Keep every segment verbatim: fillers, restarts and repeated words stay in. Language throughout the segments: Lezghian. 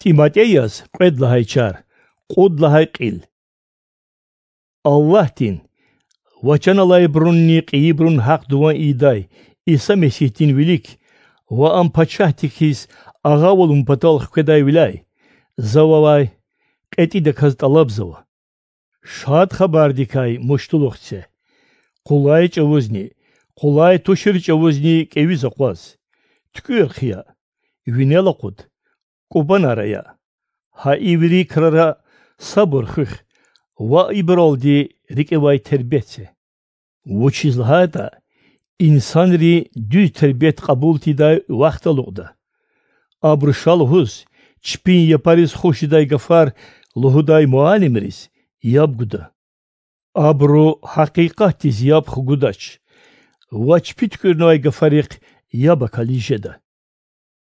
ТӀиматӀе яз кьвед лагьай чар, кьуд лагьай кьил. Аллагьдин ва чан алайбурунни кьейибурун гьахъ-дуван ийидай Иса Месигьдин вилик ва Ам пачагьдик хьиз агъавалун патал хкведайвиляй за вавай кьетӀидаказ тӀалабзава: Шад Хабардикай муштулух це, къулай чӀавузни, къулай тушир чӀавузни кӀевиз акъваз, туькӀуьр хъия, винел акъуд, кӀубанар ая. Гьа и вири крара сабур хуьх ва ибуралди рикӀивай тербет це. Вучиз лагьайтӀа инсанри дуьз тербет кьабул тийидай вахт алукьда. Абуру ша лугьуз, чпин япариз хуш жедай гафар лугьудай муаллимриз яб гуда. Абуру гьакъикъатдиз яб хгудач ва чпи туькӀуьрнавай гафарихъ яб акализ жеда.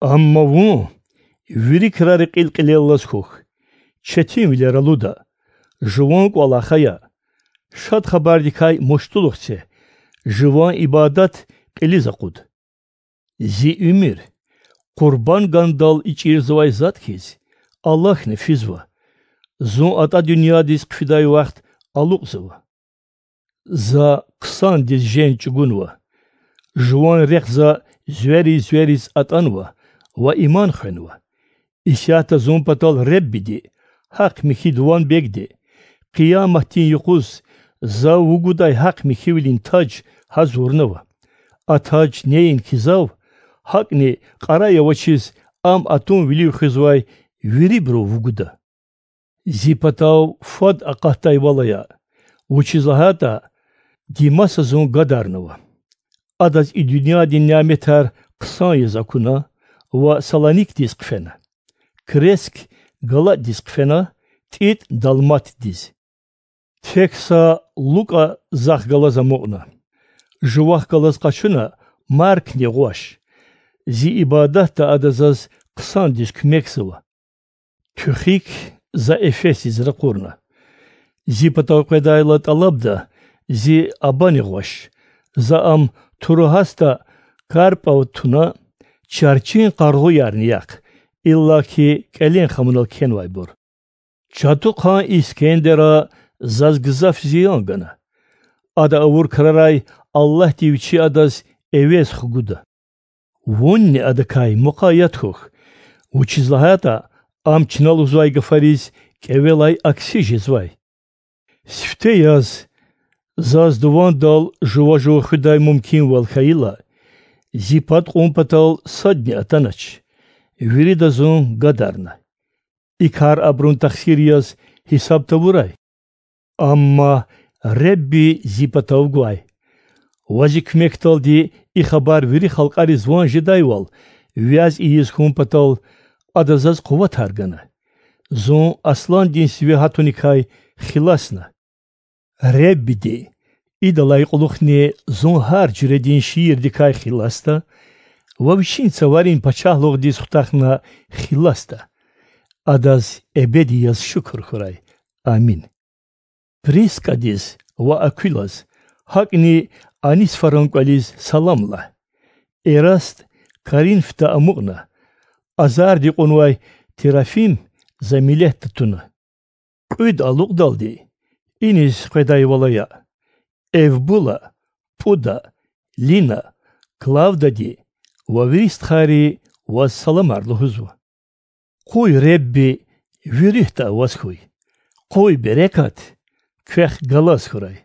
Амма вун вири крара кьил кьилеллаз хьухь, четинвилер алуда, жуван кӀвалах ая, Шад Хабардикай муштулух це, жуван ибадат кьилиз акъуд. Зи уьмуьр, къурбан гандал ичӀирзавай затӀ хьиз, алахьна физва, Зун атӀа дуьньядиз хъфидай вахт алукьзава. За хъсандиз женг чӀугунва, жуван рехъ за звери-звериз атӀанва ва иман хвенва. Исятда зун патал Реббиди, гьахъ-михьи дуван Бегди, Къияматдин юкъуз За вугудай гьахъ-михьивилин таж гьазурнава. А таж неинки Зав, гьакӀни кьарай авачиз ам атун вилив хуьзвай вирибуру вугуда. Зи патав фад акъатдайвал ая, вучиз лагьайтӀа Димаса зун гадарнава. Адаз и дуьньядин няметар хъсан яз акуна ва Салоникдиз хъфена, Креск Галатдиз хъфена, ТӀитӀ Далматдиз. Тек са Лукьа захъ галаз амукьна. Жувахъ галаз къачуна Маркни гъваш. Зи ибадатда ада заз хъсандиз куьмекзава. Туьхик за Эфесдиз ракъурна. Зи патав къведайла тӀалабда зи абани гъваш. За ам Туроасда Карпав туна, чарчин къаргъуярни яхъ, иллаки кӀелен хамунал кхьенвайбур. Чатухъан Искендера заз гзаф зиян гана. Ада авур крарай Аллагьди вичи адаз эвез хгуда. Вунни адакай мукъаят хьухь, вучиз лагьайтӀа ам чна лугьузвай гафариз кӀевелай акси жезвай. Сифте яз, заз дувандал жува-жув хуьдай мумкинвал хьайила, зи пад кьун патал садни атанач. Вирида зун гадарна. И кар абурун тахсир яз гьисаб тавурай. Амма Ребби зи патав гвай. Ва зи куьмекдалди и хабар вири халкьариз ван жедайвал вяз ийиз хьун патал, ада заз къуватар гана. Зун асландин сиве гьатуникай хиласна. Реббиди идалай кьулухъни зун гьар жуьредин шиирдикай хиласда ва Вичин цаварин пачагьлугъдиз хутахна хиласда. Адаз эбеди яз шукур хьурай. Амин. Прискадиз ва Аквилаз, гьакӀни Онисфоран кӀвализ салам лагь. Эраст Коринфда амукьна, азарди кьунвай Трофим за милетда туна. Кьуьд алукьдалди иниз къведайвал ая. Эвбула, ПӀуда, Лина, Клавдади ва вири стхайри ваз саламар лугьузва. Къуй Ребби ви руьгьда аваз хьуй. Къуй берекат квехъ галаз хьурай.